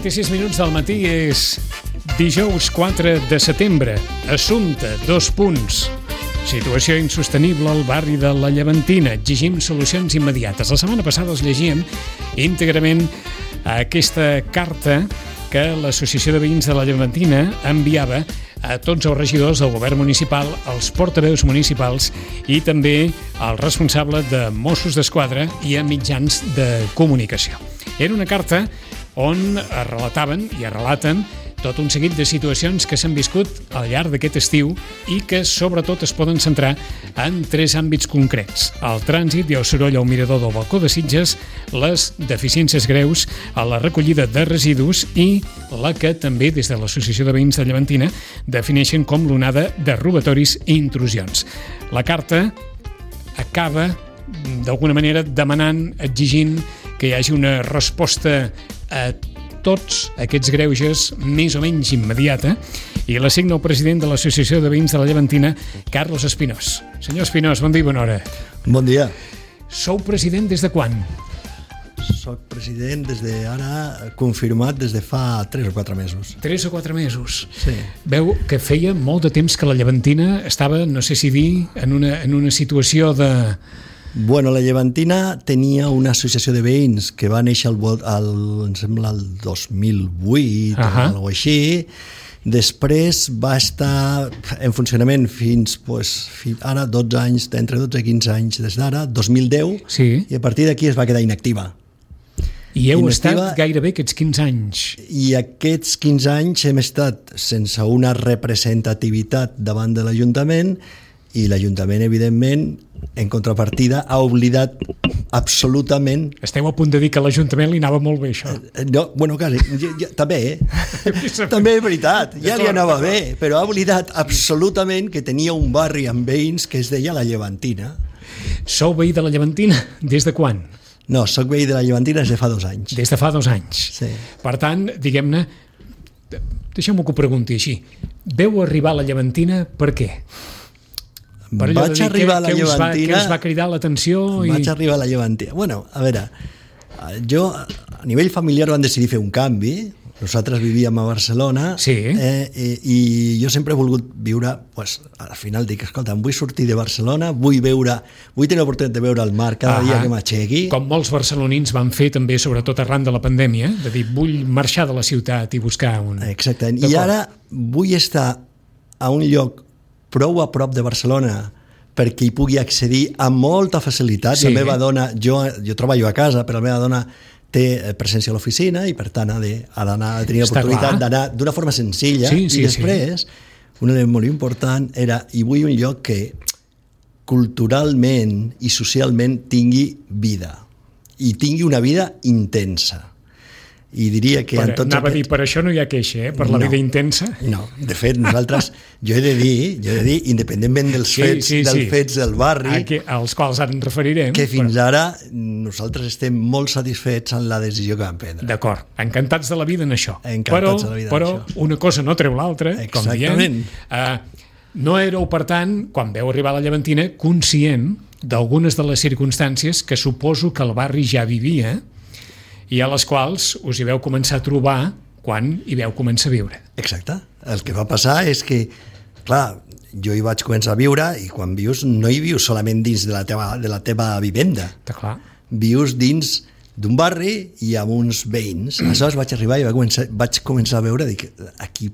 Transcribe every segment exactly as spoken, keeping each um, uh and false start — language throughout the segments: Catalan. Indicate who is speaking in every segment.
Speaker 1: vint-i-sis minuts del matí, és dijous quatre de setembre. Assumpte, dos punts. Situació insostenible al barri de la Llevantina. Exigim solucions immediates. La setmana passada els llegíem íntegrament aquesta carta que l'Associació de Veïns de la Llevantina enviava a tots els regidors del govern municipal, als portaveus municipals i també al responsable de Mossos d'Esquadra i a mitjans de comunicació. Era una carta on relataven i relaten tot un seguit de situacions que s'han viscut al llarg d'aquest estiu i que sobretot es poden centrar en tres àmbits concrets: el trànsit i el soroll al mirador del balcó de Sitges, les deficiències greus a la recollida de residus i la que també des de l'Associació de Veïns de Llevantina defineixen com l'onada de robatoris i intrusions. La carta acaba d'alguna manera demanant, exigint que hi hagi una resposta a tots aquests greuges més o menys immediata, i la signa el president de l'Associació de Veïns de la Llevantina, Carlos Espinós. Senyor Espinós, bon dia i bona hora.
Speaker 2: Bon dia.
Speaker 1: Sou president des de quan?
Speaker 2: Soc president des de ara, confirmat des de fa tres o quatre mesos.
Speaker 1: Tres o quatre mesos.
Speaker 2: Sí.
Speaker 1: Veu que feia molt de temps que la Llevantina estava, no sé si dir, en una, en una situació de...
Speaker 2: Bueno, la Llevantina tenia una associació de veïns que va néixer el, el, em sembla el dos mil vuit uh-huh. o alguna cosa així. Després va estar en funcionament fins, pues, fins ara dotze anys, entre dotze i quinze anys des d'ara, dos mil deu,
Speaker 1: sí.
Speaker 2: I a partir d'aquí es va quedar inactiva.
Speaker 1: I heu
Speaker 2: inactiva,
Speaker 1: estat gairebé aquests quinze anys.
Speaker 2: I aquests quinze anys hem estat sense una representativitat davant de l'Ajuntament, i l'Ajuntament, evidentment, en contrapartida, ha oblidat absolutament...
Speaker 1: Esteu a punt de dir que a l'Ajuntament li anava molt bé, això.
Speaker 2: No, bueno, quasi. Ja, ja, també, eh? També és veritat. Ja li anava bé, però ha oblidat absolutament que tenia un barri amb veïns que es deia la Llevantina.
Speaker 1: Sou veí de la Llevantina des de quan?
Speaker 2: No, soc veí de la Llevantina des de fa dos anys.
Speaker 1: Des de fa dos anys.
Speaker 2: Sí.
Speaker 1: Per tant, diguem-ne, deixeu-me que ho pregunti així. Veu arribar a la Llevantina per què? Per
Speaker 2: vaig
Speaker 1: dir,
Speaker 2: arribar
Speaker 1: que,
Speaker 2: a la
Speaker 1: que
Speaker 2: Llevantina...
Speaker 1: Us va, que us va cridar l'atenció? I...
Speaker 2: Vaig arribar a la Llevantina. Bueno, a veure, jo, a nivell familiar vam decidir fer un canvi. Nosaltres vivíem a Barcelona,
Speaker 1: sí.
Speaker 2: eh, i, i jo sempre he volgut viure, pues, al final dic, escolta, em vull sortir de Barcelona, vull veure, vull tenir l'oportunitat de veure el mar cada ah dia que m'aixequi.
Speaker 1: Com molts barcelonins van fer també, sobretot arran de la pandèmia, de dir, vull marxar de la ciutat i buscar un...
Speaker 2: Exactament, i ara vull estar a un lloc prou a prop de Barcelona perquè hi pugui accedir amb molta facilitat. Sí. La meva dona, jo, jo treballo a casa, però la meva dona té presència a l'oficina i per tant ha d'anar a tenir l'oportunitat d'anar d'una forma senzilla. Sí, sí, i després, sí. Un element molt important era, i vull un lloc que culturalment i socialment tingui vida i tingui una vida intensa. I diria que...
Speaker 1: Per,
Speaker 2: en tots
Speaker 1: anava
Speaker 2: aquest...
Speaker 1: a dir, per això no hi ha queixa, eh? Per la
Speaker 2: no,
Speaker 1: vida intensa.
Speaker 2: No, de fet, nosaltres, jo he de dir, jo he de dir, independentment dels
Speaker 1: sí,
Speaker 2: fets,
Speaker 1: sí,
Speaker 2: dels
Speaker 1: sí.
Speaker 2: fets del barri,
Speaker 1: Aquí, als quals ens referirem,
Speaker 2: que fins
Speaker 1: però...
Speaker 2: ara nosaltres estem molt satisfets en la decisió que vam prendre.
Speaker 1: D'acord, encantats de la vida en això.
Speaker 2: Encantats
Speaker 1: però,
Speaker 2: de la vida
Speaker 1: però
Speaker 2: en això.
Speaker 1: Una cosa no treu l'altra, com diem. Uh, no éreu, per tant, quan veu arribar a la Llevantina, conscient d'algunes de les circumstàncies que suposo que el barri ja vivia i a les quals us hi veu començar a trobar quan hi veu començar a viure.
Speaker 2: Exacte. El que va passar és que, clar, jo hi vaig començar a viure i quan vius, no hi vius solament dins de la teva, de la teva vivenda.
Speaker 1: Clar.
Speaker 2: Vius dins d'un barri i amb uns veïns. Aleshores vaig arribar i vaig començar, vaig començar a veure, dic, aquí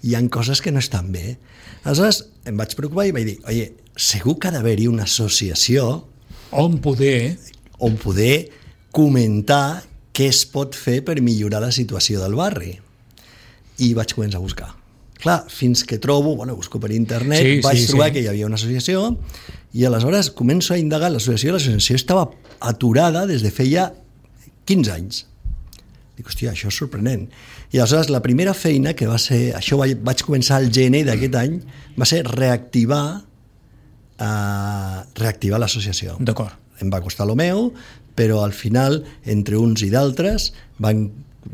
Speaker 2: hi ha coses que no estan bé. Aleshores em vaig preocupar i vaig dir, oye, segur que ha d'haver-hi una associació
Speaker 1: on poder
Speaker 2: on poder comentar què es pot fer per millorar la situació del barri. I vaig començar a buscar. Clar, fins que trobo, bueno, busco per internet, sí, vaig sí, trobar sí. que hi havia una associació i aleshores començo a indagar l'associació. L'associació estava aturada des de feia quinze anys. Dic, hòstia, això és sorprenent. I aleshores la primera feina que va ser, això vaig, vaig començar al gener d'aquest any, va ser reactivar, uh, reactivar l'associació.
Speaker 1: D'acord.
Speaker 2: Em va costar el meu, però al final, entre uns i d'altres, van,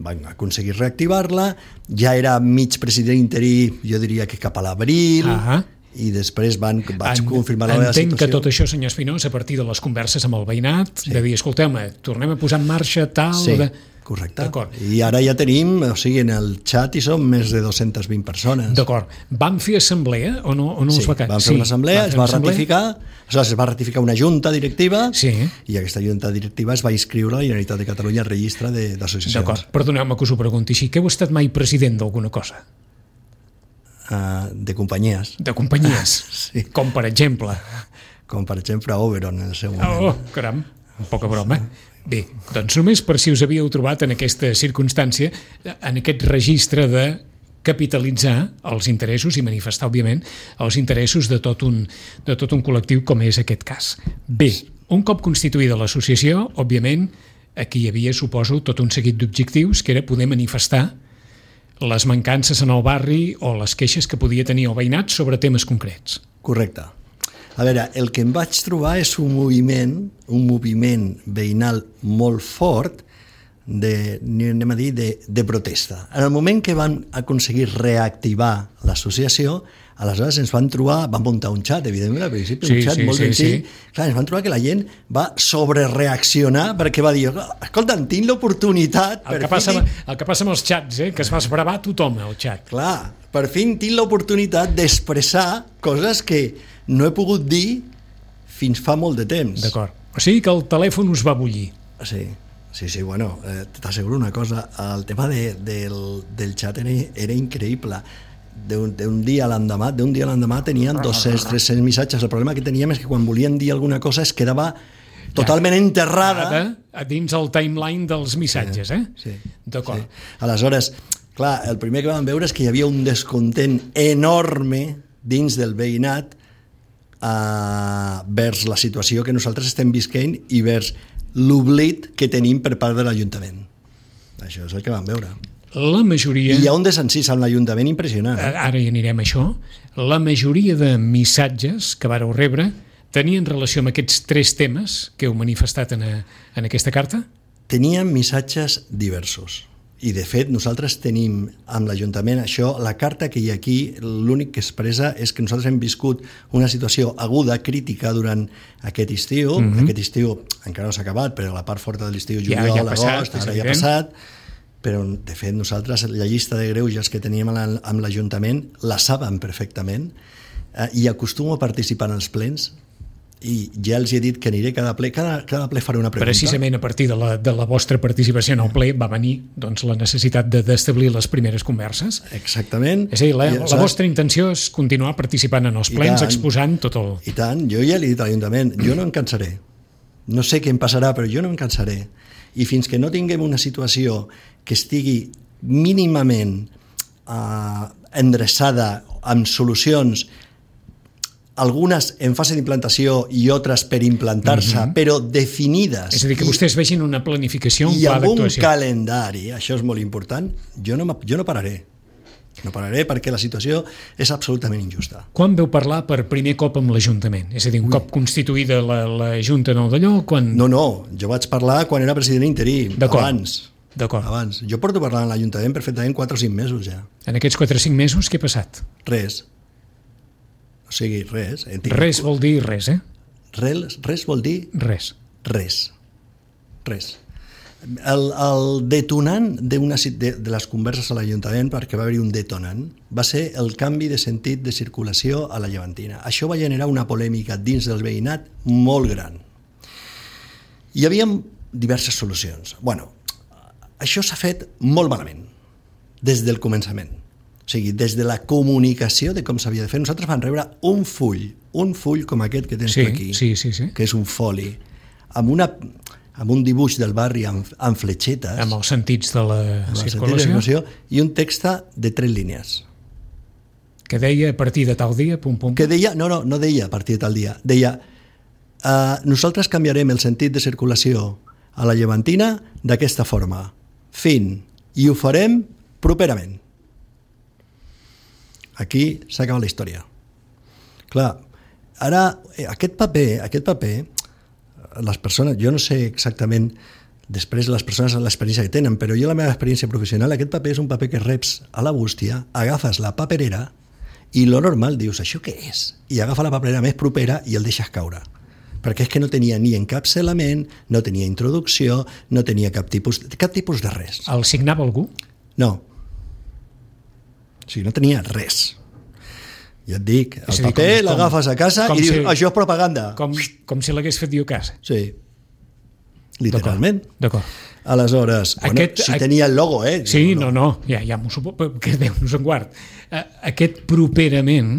Speaker 2: van aconseguir reactivar-la. Ja era mig president interí, jo diria que cap a l'abril, uh-huh. i després van, vaig en, confirmar la meva situació.
Speaker 1: Entenc que tot això, senyor Espinós, a partir de les converses amb el veïnat, sí. de dir, escolteu-me, tornem a posar en marxa tal...
Speaker 2: Sí.
Speaker 1: De...
Speaker 2: Correcte. I ara ja tenim, o sigui, en el xat hi som més de dues-centes vint persones.
Speaker 1: D'acord. Van fer assemblea o no, o no
Speaker 2: sí,
Speaker 1: us va caure?
Speaker 2: Van fer sí, una assemblea, es va ratificar, es va ratificar una junta directiva
Speaker 1: sí.
Speaker 2: i aquesta junta directiva es va inscriure a la Generalitat de Catalunya al registre d'associacions.
Speaker 1: D'acord. Perdoneu-me que us ho pregunti així. Que heu estat mai president d'alguna cosa?
Speaker 2: Uh, de companyies.
Speaker 1: De companyies?
Speaker 2: Sí.
Speaker 1: Com per exemple?
Speaker 2: Com per exemple Oberon en el seu moment.
Speaker 1: Oh, caram, poca broma. Bé, doncs només per si us havíeu trobat en aquesta circumstància, en aquest registre de capitalitzar els interessos i manifestar, òbviament, els interessos de tot un, de tot un col·lectiu com és aquest cas. Bé, un cop constituïda l'associació, òbviament, aquí hi havia, suposo, tot un seguit d'objectius, que era poder manifestar les mancances en el barri o les queixes que podia tenir el veïnat sobre temes concrets.
Speaker 2: Correcte. A veure, el que em vaig trobar és un moviment, un moviment veïnal molt fort de, anem a dir, de, de protesta. En el moment que van aconseguir reactivar l'associació, aleshores ens van trobar, van muntar un xat, evidentment, al principi,
Speaker 1: sí,
Speaker 2: un xat
Speaker 1: sí,
Speaker 2: molt
Speaker 1: sí,
Speaker 2: senzill.
Speaker 1: Sí.
Speaker 2: Clar, ens van trobar que la gent va sobrereaccionar perquè va dir, escolta, tinc l'oportunitat...
Speaker 1: El, que passa, fi... el que passa amb els xats, eh? Que es va esbravar tothom, el xat.
Speaker 2: Clar, per fi tinc l'oportunitat d'expressar coses que no he pogut dir fins fa molt de temps.
Speaker 1: D'acord. O sigui que el telèfon us va bullir.
Speaker 2: Sí, sí, sí, bueno, eh, t'asseguro una cosa, el tema de, del, del xat era, era increïble. D'un dia a l'endemà, d'un dia a l'endemà tenien dos-cents, tres-cents missatges. El problema que teníem és que quan volien dir alguna cosa es quedava totalment ja, enterrada
Speaker 1: a dins el timeline dels missatges, eh?
Speaker 2: Sí,
Speaker 1: d'acord.
Speaker 2: Sí. Aleshores, clar, el primer que vam veure és que hi havia un descontent enorme dins del veïnat Uh, vers la situació que nosaltres estem visquent i vers l'oblit que tenim per part de l'Ajuntament. Això és el que vam veure.
Speaker 1: La majoria...
Speaker 2: I hi ha un desencís amb l'Ajuntament impressionant. Eh?
Speaker 1: Ara hi anirem a això. La majoria de missatges que vareu rebre tenien relació amb aquests tres temes que heu manifestat en, a, en aquesta carta?
Speaker 2: Tenien missatges diversos. I, de fet, nosaltres tenim amb l'Ajuntament això, la carta que hi ha aquí, l'únic que expressa és que nosaltres hem viscut una situació aguda, crítica, durant aquest estiu. Mm-hmm. Aquest estiu encara no s'ha acabat, però la part forta de l'estiu, juliol, ja, ja agost, ara ja ha passat. Però, de fet, nosaltres la llista de greuges que teníem amb l'Ajuntament la saben perfectament eh, i acostumo a participar en els plens. I ja els he dit que aniré cada ple, cada, cada ple faré una pregunta.
Speaker 1: Precisament a partir de la, de la vostra participació en el ple va venir doncs, la necessitat d'establir les primeres converses.
Speaker 2: Exactament.
Speaker 1: És a dir, la, la vostra intenció és continuar participant en els plens, tant, exposant tot el...
Speaker 2: I tant, jo ja li he dit a l'Ajuntament, jo no em cansaré. No sé què em passarà, però jo no em cansaré. I fins que no tinguem una situació que estigui mínimament eh, endreçada amb solucions, algunes en fase d'implantació i altres per implantar-se, mm-hmm. però definides.
Speaker 1: És a dir, que vostès vegin una planificació, un
Speaker 2: i
Speaker 1: pla d'actuació.
Speaker 2: I amb un calendari, això és molt important, jo no, jo no pararé. No pararé perquè la situació és absolutament injusta.
Speaker 1: Quan veu parlar per primer cop amb l'Ajuntament? És a dir, un Ui. cop constituïda la, la Junta nou d'allò? Quan...
Speaker 2: No, no, jo vaig parlar quan era president interí, abans.
Speaker 1: D'acord.
Speaker 2: Abans. Jo porto parlant a l'Ajuntament perfectament quatre o cinc mesos ja.
Speaker 1: En aquests quatre o cinc mesos què ha passat?
Speaker 2: Res. O sigui, res.
Speaker 1: Res vol dir res, eh?
Speaker 2: Res, res vol dir...
Speaker 1: Res.
Speaker 2: Res. Res. El, el detonant de, una, de, de les converses a l'Ajuntament, perquè va haver-hi un detonant, va ser el canvi de sentit de circulació a la Llevantina. Això va generar una polèmica dins del veïnat molt gran. Hi havia diverses solucions. Bueno, això s'ha fet molt malament, des del començament. O sigui, des de la comunicació de com s'havia de fer. Nosaltres vam rebre un full, un full com aquest que tens
Speaker 1: sí,
Speaker 2: aquí,
Speaker 1: sí, sí, sí.
Speaker 2: que és un foli, amb, una, amb un dibuix del barri amb, amb fletxetes.
Speaker 1: Amb els sentits de la circulació.
Speaker 2: I un text de tres línies.
Speaker 1: Que deia a partir de tal dia, pum, pum.
Speaker 2: Que deia, no, no, no deia a partir de tal dia. Deia, uh, nosaltres canviarem el sentit de circulació a la Llevantina d'aquesta forma. Fin. I ho farem properament. Aquí s'acaba la història. Clar, ara, aquest paper, aquest paper, les persones, jo no sé exactament després les persones l'experiència que tenen, però jo la meva experiència professional, aquest paper és un paper que reps a la bústia, agafes la paperera i lo normal dius, això què és? I agafa la paperera més propera i el deixes caure. perquè és que no tenia ni encapçalament, no tenia introducció, no tenia cap tipus, cap tipus de res.
Speaker 1: El signava algú?
Speaker 2: No. O sigui, no tenia res. Ja et dic, el dir, paper com, l'agafes a casa i dius, si, això és propaganda.
Speaker 1: Com, com si l'hagués fet jo a casa.
Speaker 2: Sí, literalment.
Speaker 1: D'acord.
Speaker 2: Aleshores, bueno, aquest, si tenia el logo, eh?
Speaker 1: Sí, no, no, ja, ja m'ho suposo, que Déu nos en guard. Aquest properament,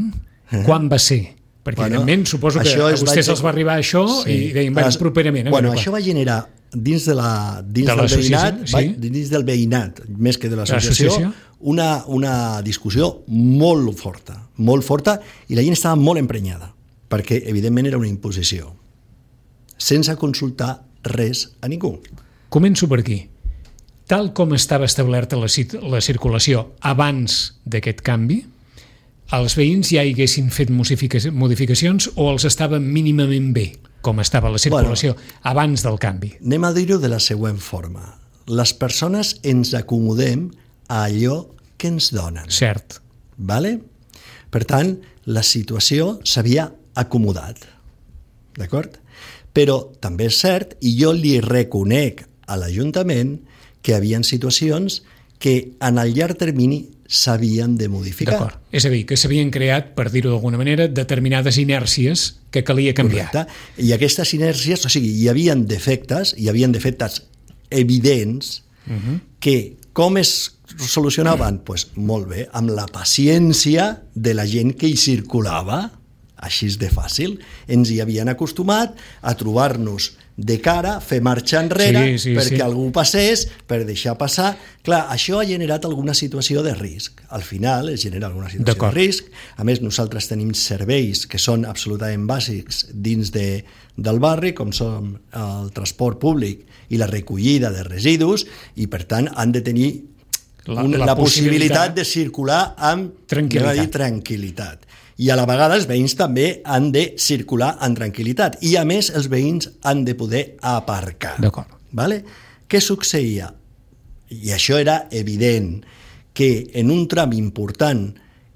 Speaker 1: eh? Quan va ser? Perquè, bueno, evidentment, suposo que a vostès els va arribar això sí. I deien, va, properament. Eh?
Speaker 2: Bueno, això va generar dins, de la, dins, de del veïnat, sí? va, dins del veïnat, més que de l'associació, una, una discussió molt forta, molt forta, i la gent estava molt emprenyada, perquè, evidentment, era una imposició, sense consultar res a ningú.
Speaker 1: Començo per aquí. Tal com estava establerta la, la circulació abans d'aquest canvi, els veïns ja hi haguessin fet modificacions o els estava mínimament bé, com estava la circulació bueno, abans del canvi?
Speaker 2: Anem a dir-ho de la següent forma. Les persones ens acomodem a allò que ens donen.
Speaker 1: Cert.
Speaker 2: Vale? Per tant, la situació s'havia acomodat. D'acord? Però també és cert, i jo li reconec a l'Ajuntament que hi havia situacions que en el llarg termini s'havien de modificar.
Speaker 1: D'acord. És a dir, que s'havien creat, per dir-ho d'alguna manera, determinades inèrcies que calia canviar.
Speaker 2: Correcte. I aquestes inèrcies, o sigui, hi havia defectes, hi havia defectes evidents, uh-huh. que com es solucionaven? Doncs pues, molt bé, amb la paciència de la gent que hi circulava, així de fàcil. Ens hi havien acostumat a trobar-nos de cara, fer marxa enrere, sí, sí, perquè sí. algú passés, per deixar passar. Clar, això ha generat alguna situació de risc. Al final es genera alguna situació de risc. A més, nosaltres tenim serveis que són absolutament bàsics dins de, del barri, com són el transport públic i la recollida de residus, i per tant han de tenir la, una, la, la possibilitat, possibilitat de circular amb tranquil·litat. Dir, tranquil·litat. I a la vegada els veïns també han de circular amb tranquil·litat. I a més els veïns han de poder aparcar.
Speaker 1: D'acord.
Speaker 2: Vale? Què succeïa? I això era evident, que en un tram important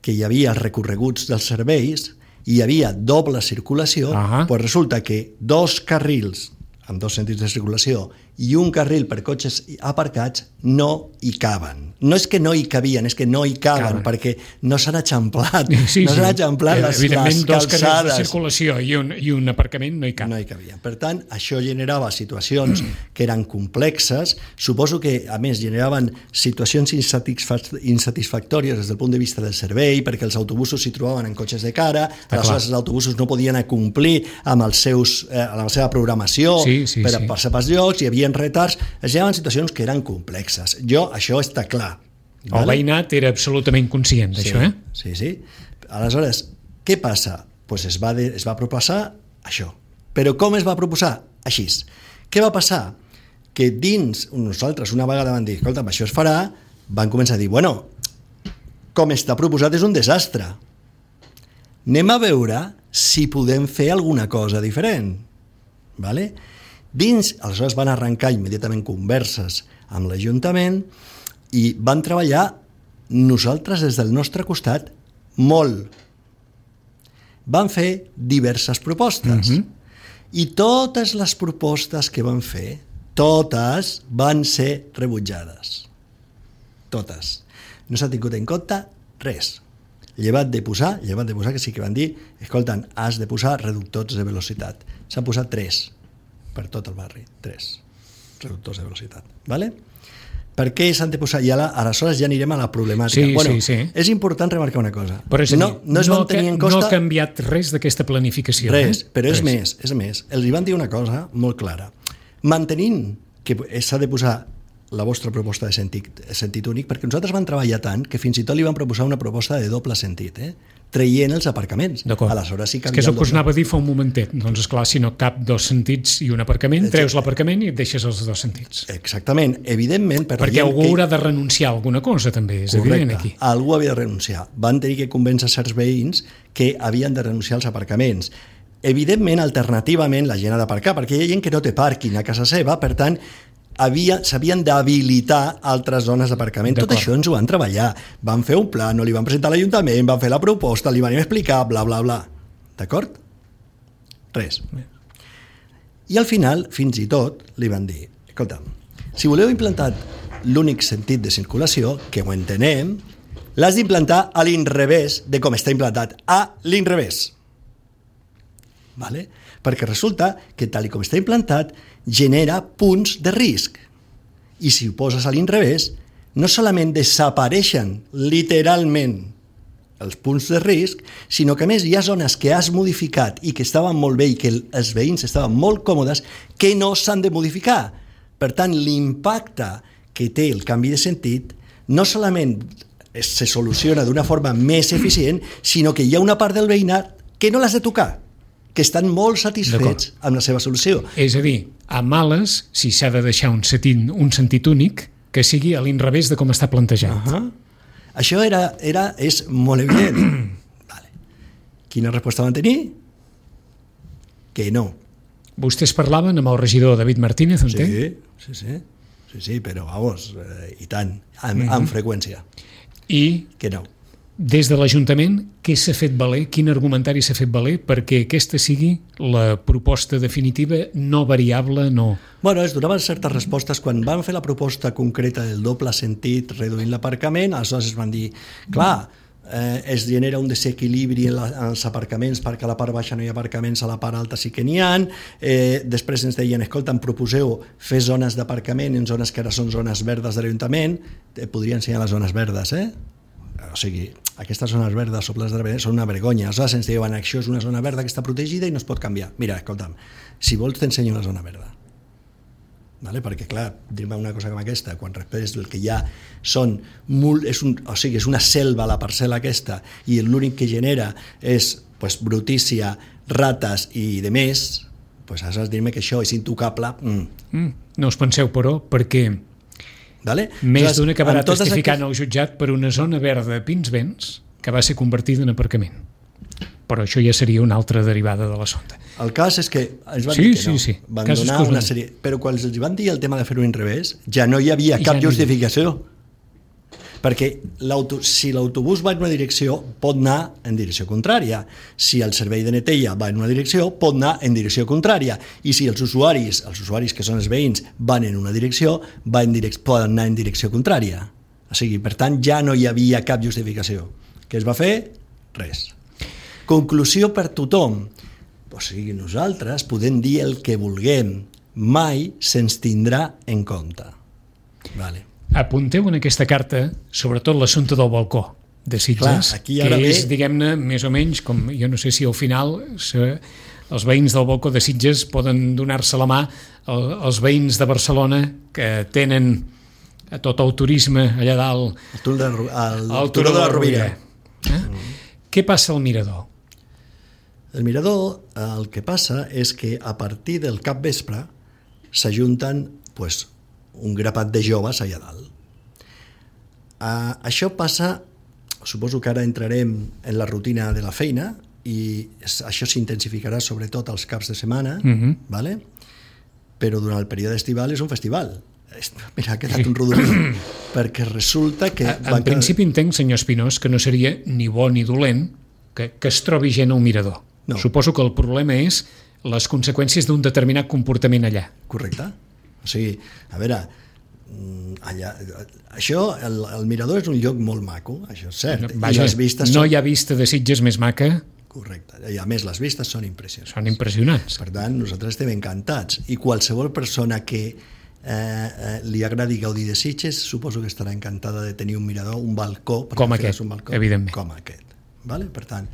Speaker 2: que hi havia els recorreguts dels serveis, hi havia doble circulació, uh-huh. pues resulta que dos carrils amb dos sentits de circulació i un carril per cotxes aparcats no hi caben. No és que no hi cabien, és que no hi caben, caben. perquè no s'han eixamplat, sí, no s'han sí. eixamplat les, les calçades.
Speaker 1: Dos carrils de circulació i un, i un aparcament no hi cap.
Speaker 2: No hi cabia. Per tant, això generava situacions que eren complexes, suposo que, a més, generaven situacions insatisfactòries des del punt de vista del servei, perquè els autobusos s'hi trobaven en cotxes de cara, aleshores els autobusos no podien acomplir amb, els seus, eh, amb la seva programació sí, sí, per sí. passar pels llocs, hi havia retards, es generaven situacions que eren complexes. Jo, això està clar.
Speaker 1: El vale? veïnat era absolutament conscient d'això,
Speaker 2: sí,
Speaker 1: eh?
Speaker 2: Sí, sí. Aleshores, què passa? Pues es va, de, es va proposar això. Però com es va proposar? Així. Què va passar? Que dins, nosaltres una vegada van dir, escolta, això es farà, van començar a dir, bueno, com està proposat és un desastre. Anem a veure si podem fer alguna cosa diferent. Vale? Dins, aleshores van arrencar immediatament converses amb l'Ajuntament i van treballar nosaltres des del nostre costat molt. Van fer diverses propostes. Uh-huh. I totes les propostes que van fer, totes van ser rebutjades. Totes. No s'ha tingut en compte res. Llevat de posar, llevat de posar que sí que van dir, escolten, has de posar reductors de velocitat. S'han posat tres per tot el barri, tres reductors de velocitat. Vale? Per què s'han de posar? I ara, aleshores ja anirem a la problemàtica.
Speaker 1: Sí,
Speaker 2: bueno,
Speaker 1: sí, sí.
Speaker 2: És important remarcar una cosa.
Speaker 1: Però és a dir,
Speaker 2: no, no, es
Speaker 1: no,
Speaker 2: van tenir en costa...
Speaker 1: no ha canviat res d'aquesta planificació.
Speaker 2: Res,
Speaker 1: eh?
Speaker 2: però és
Speaker 1: res.
Speaker 2: més, és més. Els van dir una cosa molt clara. Mantenint que s'ha de posar la vostra proposta de sentit, sentit únic, perquè nosaltres vam treballar tant que fins i tot li vam proposar una proposta de doble sentit, eh? traient els aparcaments. Aleshores sí que
Speaker 1: és que és el que us anava a dir fa un momentet. Doncs esclar, si no cap dos sentits i un aparcament, treus l'aparcament i et deixes els dos sentits.
Speaker 2: Exactament, evidentment... Per
Speaker 1: perquè algú que... haurà de renunciar a alguna cosa, també, és
Speaker 2: Correcte.
Speaker 1: evident aquí.
Speaker 2: Algú havia de renunciar. Van tenir que convèncer certs veïns que havien de renunciar als aparcaments. Evidentment, alternativament, la gent ha d'aparcar, perquè hi ha gent que no té pàrquing a casa seva, per tant, s'havien d'habilitar altres zones d'aparcament. Tot això ens ho van treballar. Van fer un pla, no li van presentar a l'Ajuntament, van fer la proposta, li van explicar, bla, bla, bla. D'acord? Res. I al final, fins i tot, li van dir, escolta, si voleu implantar l'únic sentit de circulació, que ho entenem, l'has d'implantar a l'inrevés de com està implantat, a l'inrevés. Vale? Perquè resulta que tal com està implantat genera punts de risc. I si ho poses a l'inrevés, no solament desapareixen literalment els punts de risc, sinó que a més hi ha zones que has modificat i que estaven molt bé i que els veïns estaven molt còmodes que no s'han de modificar. Per tant, l'impacte que té el canvi de sentit no solament se soluciona d'una forma més eficient, sinó que hi ha una part del veïnat que no l'has de tocar, que estan molt satisfets amb la seva solució.
Speaker 1: És a dir, a males, si s'ha de deixar un sentit, un sentit únic, que sigui a l'inrevés de com està plantejat.
Speaker 2: Uh -huh. Això era, era, és molt evident. Vale. Quina resposta van tenir? Que no.
Speaker 1: Vostès parlaven amb el regidor David Martínez, entenc?
Speaker 2: Sí, sí, sí, sí, sí, però vamos, eh, i tant, amb, uh-huh. amb freqüència.
Speaker 1: I
Speaker 2: que no.
Speaker 1: Des de l'Ajuntament, què s'ha fet valer, quin argumentari s'ha fet valer perquè aquesta sigui la proposta definitiva, no variable, no...
Speaker 2: Bueno, es donaven certes respostes quan van fer la proposta concreta del doble sentit reduint l'aparcament, aleshores es van dir, clar, eh, es genera un desequilibri en, la, en els aparcaments perquè a la part baixa no hi ha aparcaments, a la part alta sí que n'hi ha, eh, després ens deien, escolta, em proposeu fer zones d'aparcament en zones que ara són zones verdes de l'Ajuntament, eh, podria ensenyar les zones verdes, eh? O sigui, aquestes zones verdes o plans de són una vergonya. Aleshores ens diuen, això és una zona verda que està protegida i no es pot canviar. Mira, escolta'm, si vols t'ensenyo una zona verda. Vale? Perquè, clar, dir-me una cosa com aquesta, quan després el que hi ha són molt, és un, o sigui, és una selva la parcel·la aquesta i l'únic que genera és pues, brutícia, rates i de més, pues, has de dir-me que això és intocable. Mm.
Speaker 1: Mm, no us penseu, però, perquè
Speaker 2: vale?
Speaker 1: més d'una acabarà testificant al jutjat per una zona verda a Pinsbens que va ser convertida en aparcament. Però això ja seria una altra derivada de l'assumpte.
Speaker 2: El cas és que ens van
Speaker 1: sí,
Speaker 2: dir que
Speaker 1: sí,
Speaker 2: no.
Speaker 1: Sí.
Speaker 2: Van
Speaker 1: Casos
Speaker 2: donar una sèrie... Però quan els van dir el tema de fer-ho en revés, ja no hi havia cap ja justificació. No hi... Perquè si l'autobús va en una direcció, pot anar en direcció contrària. Si el servei de neteja va en una direcció, pot anar en direcció contrària. I si els usuaris, els usuaris que són els veïns, van en una direcció, va en direc... poden anar en direcció contrària. O sigui, per tant, ja no hi havia cap justificació. Què es va fer? Res. Conclusió per tothom. O sigui, nosaltres podem dir el que vulguem, mai se'ns tindrà en compte. Vale.
Speaker 1: Apunteu en aquesta carta, sobretot l'assumpte del balcó de Sitges,
Speaker 2: clar, que
Speaker 1: ve...
Speaker 2: és,
Speaker 1: diguem-ne, més o menys, com jo no sé si al final se, els veïns del balcó de Sitges poden donar-se la mà als veïns de Barcelona que tenen a tot el turisme allà dalt,
Speaker 2: el turó de, el,
Speaker 1: el turó de la Rovira. Eh? Mm. Què passa al Mirador?
Speaker 2: El Mirador, el que passa és que a partir del capvespre s'ajunten pues, un grapat de joves allà dalt. Uh, això passa, suposo que ara entrarem en la rutina de la feina i això s'intensificarà sobretot als caps de setmana, mm-hmm. ¿vale? Però durant el període estival és un festival. Mira, ha quedat sí. un rodolí, perquè resulta que...
Speaker 1: En van... principi entenc, senyor Espinós, que no seria ni bo ni dolent que, que es trobi gent al Mirador. No. Suposo que el problema és les conseqüències d'un determinat comportament allà.
Speaker 2: Correcte. O sigui, a veure, allà, això, el, el Mirador és un lloc molt maco, això és cert.
Speaker 1: Vaja,
Speaker 2: I les vistes
Speaker 1: no
Speaker 2: són...
Speaker 1: hi ha vista de Sitges més maca.
Speaker 2: Correcte. I a més, les vistes són impressionants.
Speaker 1: Són impressionants.
Speaker 2: Per tant, nosaltres estem encantats. I qualsevol persona que eh, eh, li agradi gaudir de Sitges, suposo que estarà encantada de tenir un mirador, un balcó.
Speaker 1: Com aquest, un balcó, evidentment.
Speaker 2: Com aquest. Vale? Per tant,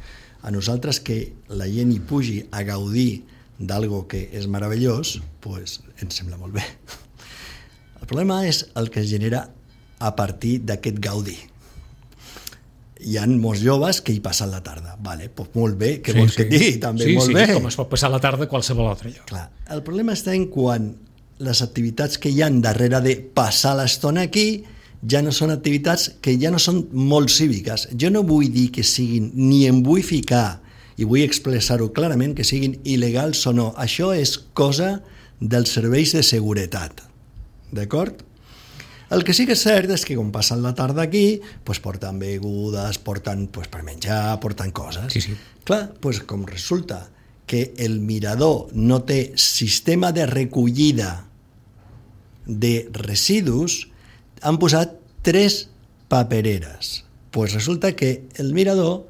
Speaker 2: a nosaltres que la gent hi pugi a gaudir d'algo que és meravellós, pues, ens sembla molt bé. El problema és el que es genera a partir d'aquest gaudi. Hi ha molts joves que hi passen la tarda. Vale, pues molt bé, què sí, vols sí. que et digui? També
Speaker 1: sí,
Speaker 2: molt
Speaker 1: sí,
Speaker 2: bé.
Speaker 1: Com es pot passar la tarda a qualsevol altre lloc.
Speaker 2: Clar, el problema està en quan les activitats que hi ha darrere de passar l'estona aquí ja no són activitats que ja no són molt cíviques. Jo no vull dir que siguin, ni em vull ficar, i vull expressar-ho clarament, que siguin il·legals o no. Això és cosa dels serveis de seguretat. D'acord? El que sí que és cert és que quan passen la tarda aquí, pues porten begudes, porten pues, per menjar, porten coses.
Speaker 1: Sí, sí.
Speaker 2: Clar, pues, com resulta que el mirador no té sistema de recollida de residus, han posat tres papereres. Pues resulta que el mirador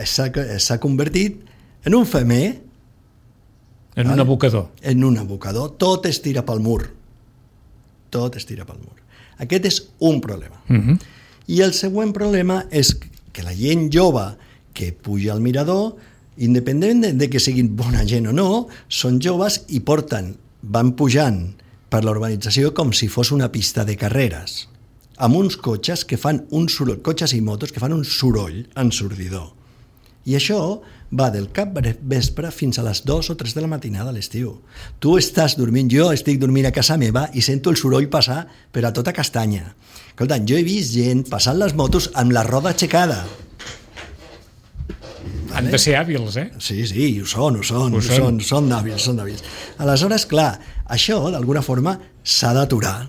Speaker 2: s'ha convertit en un femer,
Speaker 1: en vale? un abocador.
Speaker 2: En un abocador. Tot es tira pel mur. Tot es tira pel mur. Aquest és un problema. Uh-huh. I el següent problema és que la gent jove que puja al mirador, independent de, de que siguin bona gent o no, són joves i porten, van pujant per la urbanització com si fos una pista de carreres, amb uns cotxes que fan un soroll, cotxes i motos que fan un soroll ensordidor. I això va del cap vespre fins a les dues o tres de la matinada a l'estiu. Tu estàs dormint, jo estic dormint a casa meva i sento el soroll passar per a tota castanya. Escolta, jo he vist gent passant les motos amb la roda aixecada.
Speaker 1: Han vale? de ser hàbils, eh?
Speaker 2: Sí, sí, ho són, ho són, ho són, són, són hàbils, són hàbils. Aleshores, clar, això d'alguna forma s'ha d'aturar,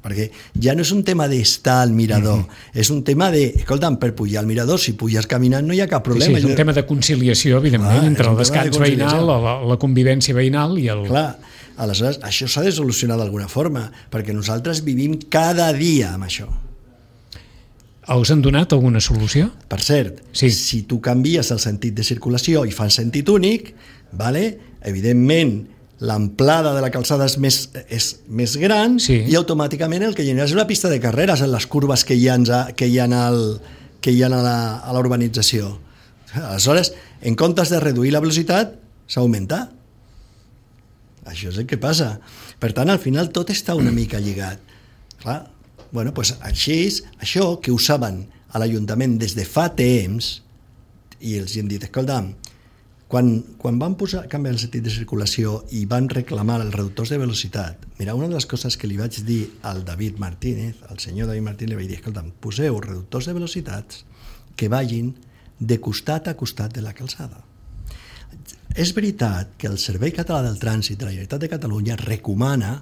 Speaker 2: perquè ja no és un tema d'estar al mirador, mm-hmm. és un tema de, escolta'm, per pujar al mirador, si puges caminant no hi ha cap problema.
Speaker 1: Sí, sí, és un tema de conciliació, evidentment, clar, entre el descans de veïnal, la, la convivència veïnal i el...
Speaker 2: Clar, aleshores, això s'ha de solucionar d'alguna forma, perquè nosaltres vivim cada dia amb això.
Speaker 1: Us han donat alguna solució?
Speaker 2: Per cert, sí. Si tu canvies el sentit de circulació i fas sentit únic, vale? Evidentment, l'amplada de la calçada és més, és més gran sí. i automàticament el que genera és una pista de carreres en les curves que hi ha, que hi ha, al, que hi ha a, la, a la urbanització. Aleshores, en comptes de reduir la velocitat, s'augmenta. Això és el que passa. Per tant, al final tot està una mica lligat. Clar, bueno, pues així, això que ho saben a l'Ajuntament des de fa temps, i els hem dit, escolta'm, quan, quan van posar, canviar el sentit de circulació i van reclamar els reductors de velocitat, mira, una de les coses que li vaig dir al David Martínez, al senyor David Martínez, li vaig dir, escolta'm, poseu reductors de velocitats que vagin de costat a costat de la calçada. És veritat que el Servei Català del Trànsit de la Generalitat de Catalunya recomana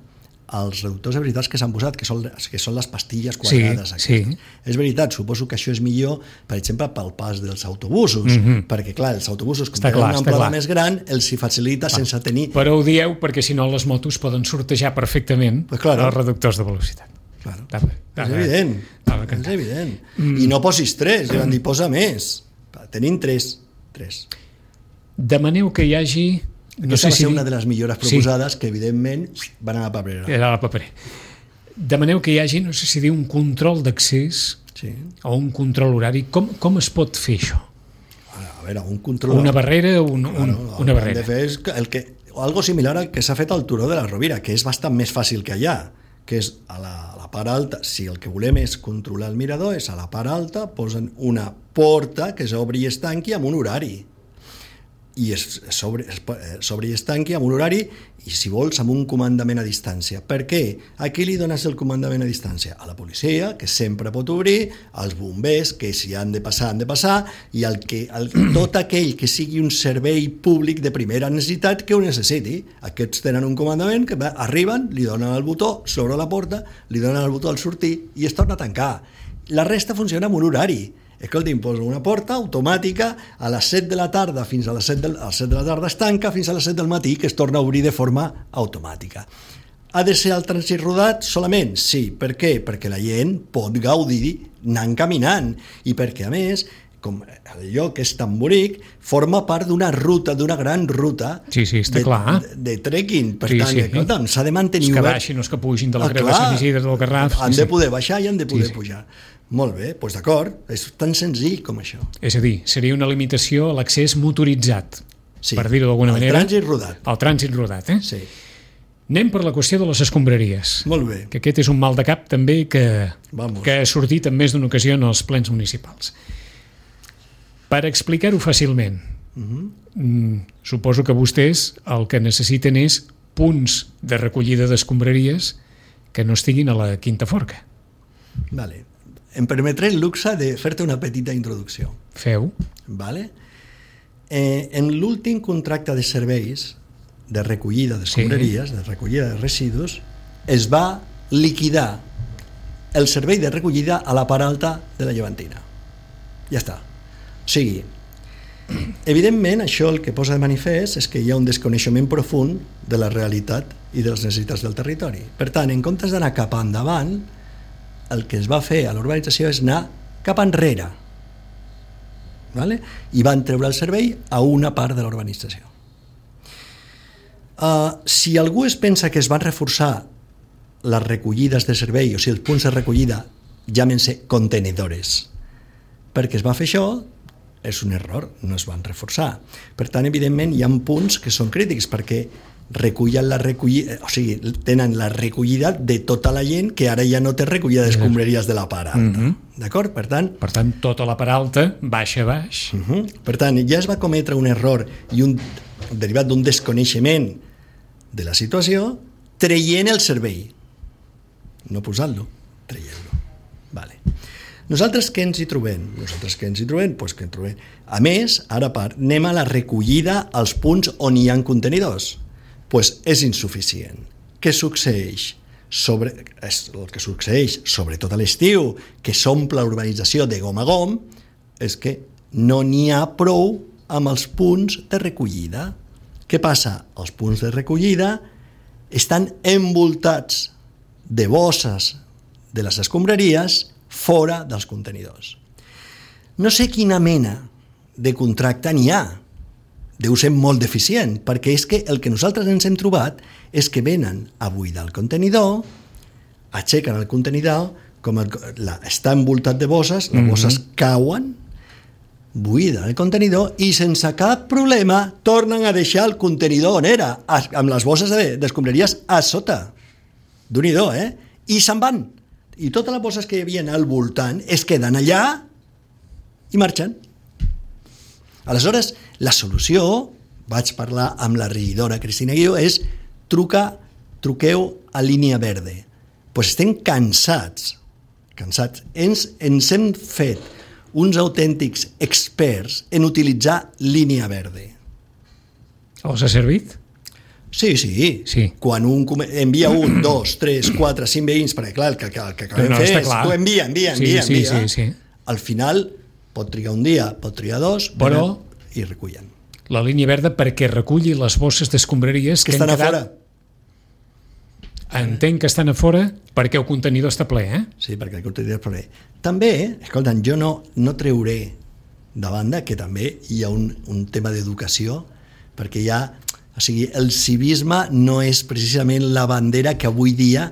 Speaker 2: els reductors de velocitats que s'han posat, que són, que són les pastilles quadrades.
Speaker 1: Sí, sí.
Speaker 2: És veritat, suposo que això és millor, per exemple, pel pas dels autobusos, mm-hmm. perquè, clar, els autobusos, com tenen una amplada més gran, els hi facilita ah, sense tenir...
Speaker 1: Però ho dieu perquè, si no, les motos poden sortejar perfectament pues claro. els reductors de velocitat.
Speaker 2: Claro. Tava, tava, és evident, és evident. Mm. I no posis tres, mm. dir, posa més. Tenim tres. tres.
Speaker 1: Demaneu que hi hagi...
Speaker 2: No Aquesta sé va ser si una de les millores proposades sí. que, evidentment, van a la paperera.
Speaker 1: Era a la paperera. Demaneu que hi hagi, no sé si dir, un control d'accés
Speaker 2: sí.
Speaker 1: o un control horari. Com, com es pot fer això?
Speaker 2: A veure, un control...
Speaker 1: Una barrera, un, un,
Speaker 2: bueno,
Speaker 1: una barrera.
Speaker 2: El que hem de fer és el que, algo similar al que s'ha fet al Turó de la Rovira, que és bastant més fàcil que allà, que és a la, a la part alta. Si el que volem és controlar el mirador, és a la part alta, posen una porta que s'obri i es tanqui amb un horari. i es, s'obri i es tanqui amb un horari i, si vols, amb un comandament a distància. Per què? A qui li dones el comandament a distància? A la policia, que sempre pot obrir, als bombers, que si han de passar, han de passar, i al que, al, tot aquell que sigui un servei públic de primera necessitat que ho necessiti. Aquests tenen un comandament que va, arriben, li donen el botó, s'obre la porta, li donen el botó al sortir i es torna a tancar. La resta funciona amb un horari. Escolta, imposa una porta automàtica a les set de la tarda fins a les set de, a les set de la tarda es tanca fins a les set del matí, que es torna a obrir de forma automàtica. Ha de ser el trànsit rodat solament? Sí. Per què? Perquè la gent pot gaudir anant caminant i perquè, a més, com el lloc és tan bonic, forma part d'una ruta, d'una gran ruta
Speaker 1: sí, sí, està
Speaker 2: de,
Speaker 1: clar.
Speaker 2: de, de trekking. Per
Speaker 1: sí,
Speaker 2: tant,
Speaker 1: sí.
Speaker 2: escolta, s'ha de mantenir
Speaker 1: obert.
Speaker 2: Que
Speaker 1: baixin, no és que pugin de la ah, creu de Sant Isidre del Garraf.
Speaker 2: Han
Speaker 1: sí,
Speaker 2: de poder baixar i han de poder
Speaker 1: sí, sí.
Speaker 2: pujar. Molt bé, doncs d'acord, és tan senzill com això.
Speaker 1: És a dir, seria una limitació a l'accés motoritzat,
Speaker 2: sí,
Speaker 1: per dir-ho d'alguna manera.
Speaker 2: El trànsit rodat.
Speaker 1: El trànsit rodat, eh?
Speaker 2: Sí.
Speaker 1: Anem per la qüestió de les escombraries.
Speaker 2: Molt bé.
Speaker 1: Que aquest és un mal de cap també que,
Speaker 2: Vamos.
Speaker 1: que ha sortit en més d'una ocasió en els plens municipals. Per explicar-ho fàcilment, uh-huh. mm, suposo que vostès el que necessiten és punts de recollida d'escombraries que no estiguin a la quinta forca.
Speaker 2: Vale. Em permetré el luxe de fer-te una petita introducció.
Speaker 1: Feu.
Speaker 2: Vale. Eh, en l'últim contracte de serveis de recollida d'escombraries, sí. de recollida de residus, es va liquidar el servei de recollida a la part alta de la Llevantina. Ja està. O sigui, Evidentment, això el que posa de manifest és que hi ha un desconeixement profund de la realitat i de les necessitats del territori. Per tant, en comptes d'anar cap endavant, el que es va fer a l'urbanització és anar cap enrere. Vale? I van treure el servei a una part de l'urbanització. Uh, si algú es pensa que es van reforçar les recollides de servei, o sigui, els punts de recollida, llámense contenedores, perquè es va fer això, és un error, no es van reforçar. Per tant, evidentment, hi ha punts que són crítics, perquè recullen la recollida, o sigui, tenen la recollida de tota la gent que ara ja no té recollida d'escombraries de la part alta. Mm-hmm. D'acord? Per tant...
Speaker 1: Per tant, tota la part alta, baixa a baix.
Speaker 2: Uh-huh. Per tant, ja es va cometre un error i un derivat d'un desconeixement de la situació, traient el servei. No posant-lo, traient-lo. Vale. Nosaltres què ens hi trobem? Nosaltres què ens hi trobem? Pues que ens trobem. A més, ara part, anem a la recollida als punts on hi ha contenidors. Pues és insuficient. Què succeeix? Sobre, és el que succeeix, sobretot a l'estiu, que s'omple l'urbanització de gom a gom, és que no n'hi ha prou amb els punts de recollida. Què passa? Els punts de recollida estan envoltats de bosses de les escombraries fora dels contenidors. No sé quina mena de contracte n'hi ha. Deu ser molt deficient, perquè és que el que nosaltres ens hem trobat és que venen a buidar el contenidor, aixequen el contenidor, com el, la, està envoltat de bosses, les mm-hmm. bosses cauen, buiden el contenidor i sense cap problema tornen a deixar el contenidor on era, amb les bosses d'escombraries a sota. Déu-n'hi-do, eh? I se'n van. I totes les bosses que hi havia al voltant es queden allà i marxen. Aleshores, la solució, vaig parlar amb la regidora Cristina Guió, és truca, truqueu a línia verde. Doncs pues estem cansats, cansats. Ens, ens hem fet uns autèntics experts en utilitzar línia verde.
Speaker 1: Us ha servit?
Speaker 2: Sí, sí,
Speaker 1: sí.
Speaker 2: Quan un envia un, dos, tres, quatre, cinc veïns, perquè clar, el que, el que acabem no, no, fer és tu envia, envia, envia, sí, envia. Sí, sí, sí. Al final pot trigar un dia, pot trigar dos, però i recullen.
Speaker 1: La línia verda perquè reculli les bosses d'escombraries
Speaker 2: que, que estan a quedat...
Speaker 1: fora. Entenc que estan a fora perquè el contenidor està ple, eh?
Speaker 2: Sí, perquè el contenidor està ple. També, escolta'm, jo no, no treuré de banda que també hi ha un, un tema d'educació, perquè hi ha... O sigui, el civisme no és precisament la bandera que avui dia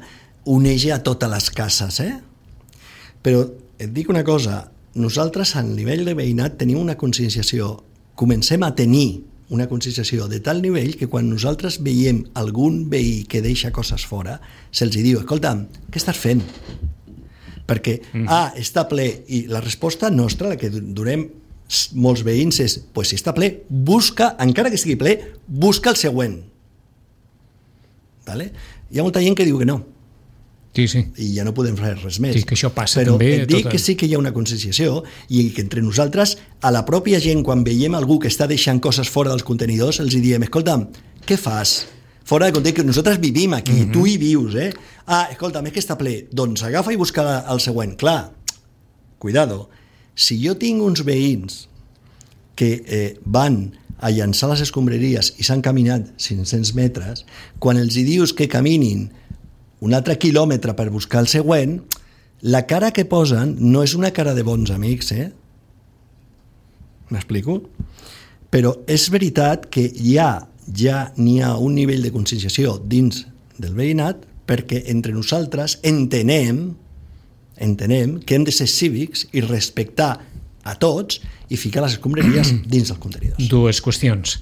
Speaker 2: uneix a totes les cases, eh? Però et dic una cosa, nosaltres a nivell de veïnat tenim una conscienciació, comencem a tenir una conscienciació de tal nivell que quan nosaltres veiem algun veí que deixa coses fora, se'ls diu, escolta'm, què estàs fent? Perquè, mm. ah, està ple, i la resposta nostra, la que donem molts veïns és, pues si està ple, busca, encara que estigui ple, busca el següent. Vale? Hi ha molta gent que diu que no.
Speaker 1: Sí, sí.
Speaker 2: I ja no podem fer res més.
Speaker 1: Sí, que això passa
Speaker 2: però
Speaker 1: també.
Speaker 2: Però et dic
Speaker 1: tota...
Speaker 2: que sí que hi ha una conscienciació i que entre nosaltres, a la pròpia gent, quan veiem algú que està deixant coses fora dels contenidors, els diem, escolta'm, què fas? Fora de context, que nosaltres vivim aquí, mm-hmm. tu hi vius, eh? Ah, escolta'm, és que està ple. Doncs agafa i busca el següent. Clar, cuidado. Si jo tinc uns veïns que eh, van a llançar les escombraries i s'han caminat cinc-cents metres, quan els hi dius que caminin un altre quilòmetre per buscar el següent, la cara que posen no és una cara de bons amics, eh? M'explico? Però és veritat que ja, ja n'hi ha un nivell de conscienciació dins del veïnat perquè entre nosaltres entenem entenem que hem de ser cívics i respectar a tots i ficar les escombraries dins dels contenidors.
Speaker 1: Dues qüestions.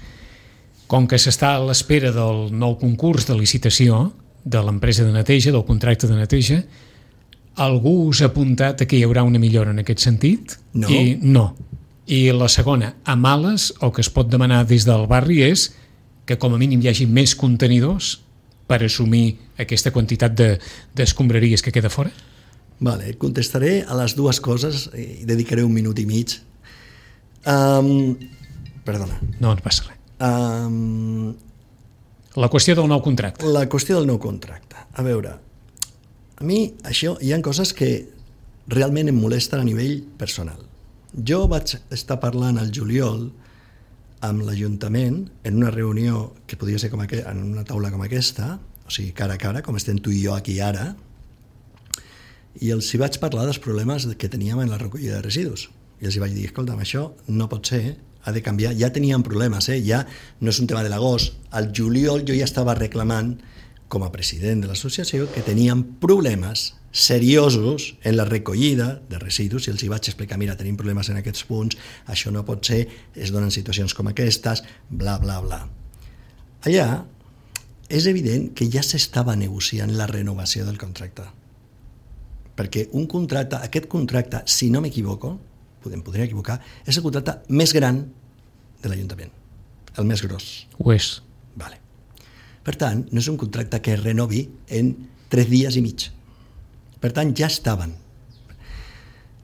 Speaker 1: Com que s'està a l'espera del nou concurs de licitació de l'empresa de neteja, del contracte de neteja, algú us ha apuntat que hi haurà una millora en aquest sentit?
Speaker 2: No.
Speaker 1: I no. I la segona, a males, el que es pot demanar des del barri és que com a mínim hi hagi més contenidors per assumir aquesta quantitat de, d'escombraries que queda fora?
Speaker 2: Vale, contestaré a les dues coses i dedicaré un minut i mig. Um, perdona.
Speaker 1: No, no passa res.
Speaker 2: Um,
Speaker 1: la qüestió del nou contracte.
Speaker 2: La qüestió del nou contracte. A veure, a mi això hi ha coses que realment em molesten a nivell personal. Jo vaig estar parlant al juliol amb l'Ajuntament en una reunió que podria ser com aqu... en una taula com aquesta, o sigui, cara a cara, com estem tu i jo aquí ara, i els hi vaig parlar dels problemes que teníem en la recollida de residus. I els hi vaig dir, escolta'm, això no pot ser, ha de canviar. Ja teníem problemes, eh? Ja no és un tema de l'agost. Al juliol jo ja estava reclamant, com a president de l'associació, que teníem problemes seriosos en la recollida de residus, i els hi vaig explicar, mira, tenim problemes en aquests punts, això no pot ser, es donen situacions com aquestes, bla, bla, bla. Allà és evident que ja s'estava negociant la renovació del contracte. Perquè un contracte, aquest contracte, si no m'equivoco, podem podria equivocar, és el contracte més gran de l'Ajuntament, el més gros.
Speaker 1: Ho és.
Speaker 2: Vale. Per tant, no és un contracte que es renovi en tres dies i mig. Per tant, ja estaven.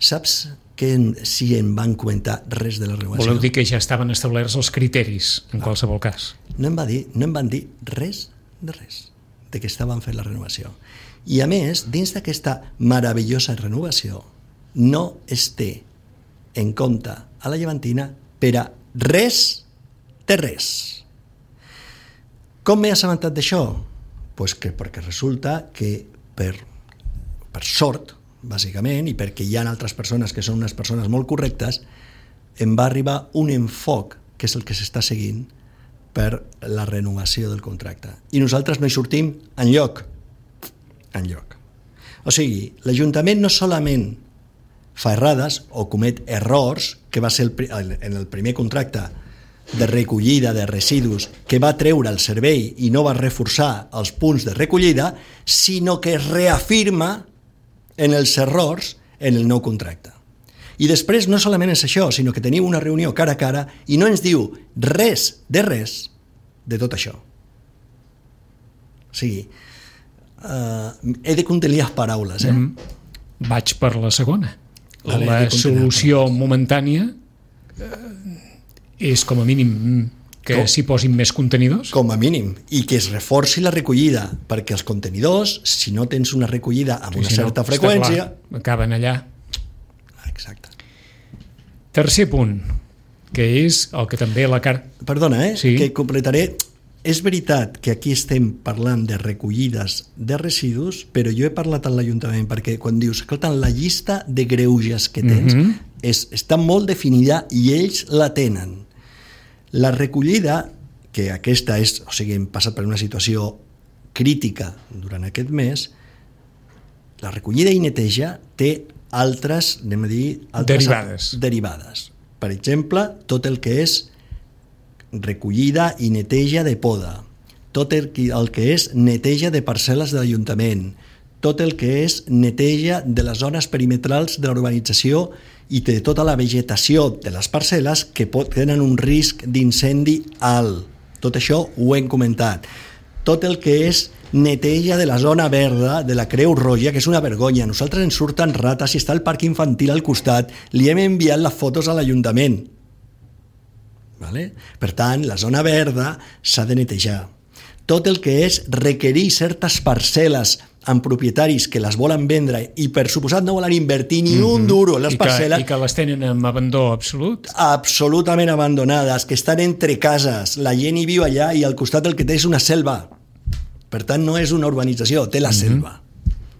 Speaker 2: Saps que en, si en van comentar res de la renovació?
Speaker 1: Voleu dir que ja estaven establerts els criteris, en ah. qualsevol cas?
Speaker 2: No em, va dir, no em van dir res de res, de que estaven fent la renovació. I a més, dins d'aquesta meravellosa renovació, no es té en compte a la Llevantina per a res de res. Com m'he assabentat d'això? Pues que perquè resulta que per, per sort, bàsicament, i perquè hi ha altres persones que són unes persones molt correctes, em va arribar un enfoc, que és el que s'està seguint, per la renovació del contracte. I nosaltres no hi sortim enlloc. Enlloc. O sigui, l'Ajuntament no solament fa errades o comet errors, que va ser el, en el primer contracte de recollida de residus que va treure el servei i no va reforçar els punts de recollida, sinó que es reafirma en els errors en el nou contracte. I després no solament és això, sinó que tenim una reunió cara a cara i no ens diu res de res de tot això. O sigui, uh, he de contenir les paraules. Eh?
Speaker 1: Mm. Vaig per la segona. Vale, la solució momentània eh, és com a mínim que com, s'hi posin més contenidors?
Speaker 2: Com a mínim, i que es reforci la recollida, perquè els contenidors, si no tens una recollida amb una si certa no, freqüència...
Speaker 1: Clar, acaben allà.
Speaker 2: Exacte.
Speaker 1: Tercer punt, que és el que també la carta...
Speaker 2: Perdona, eh?
Speaker 1: Sí.
Speaker 2: Que completaré... És veritat que aquí estem parlant de recollides de residus, però jo he parlat amb l'Ajuntament perquè quan dius, escolta, la llista de greuges que tens mm-hmm. és, està molt definida i ells la tenen. La recollida, que aquesta és, o sigui, hem passat per una situació crítica durant aquest mes, la recollida i neteja té altres, anem a dir... Altres
Speaker 1: derivades.
Speaker 2: Derivades. Per exemple, tot el que és recollida i neteja de poda, tot el que, el que és neteja de parcel·les de l'Ajuntament, tot el que és neteja de les zones perimetrals de la urbanització i de tota la vegetació de les parcel·les que pot, tenen un risc d'incendi alt. Tot això ho hem comentat. Tot el que és neteja de la zona verda de la Creu Roja, que és una vergonya. Nosaltres ens surten rates i està el parc infantil al costat. Li hem enviat les fotos a l'Ajuntament. Vale? Per tant, la zona verda s'ha de netejar. Tot el que és requerir certes parcel·les amb propietaris que les volen vendre i per suposat no volen invertir ni mm-hmm. un duro en les
Speaker 1: I que,
Speaker 2: parcel·les...
Speaker 1: I que les tenen en abandó absolut.
Speaker 2: Absolutament abandonades, que estan entre cases, la gent hi viu allà i al costat el que té és una selva. Per tant, no és una urbanització, té la mm-hmm. selva.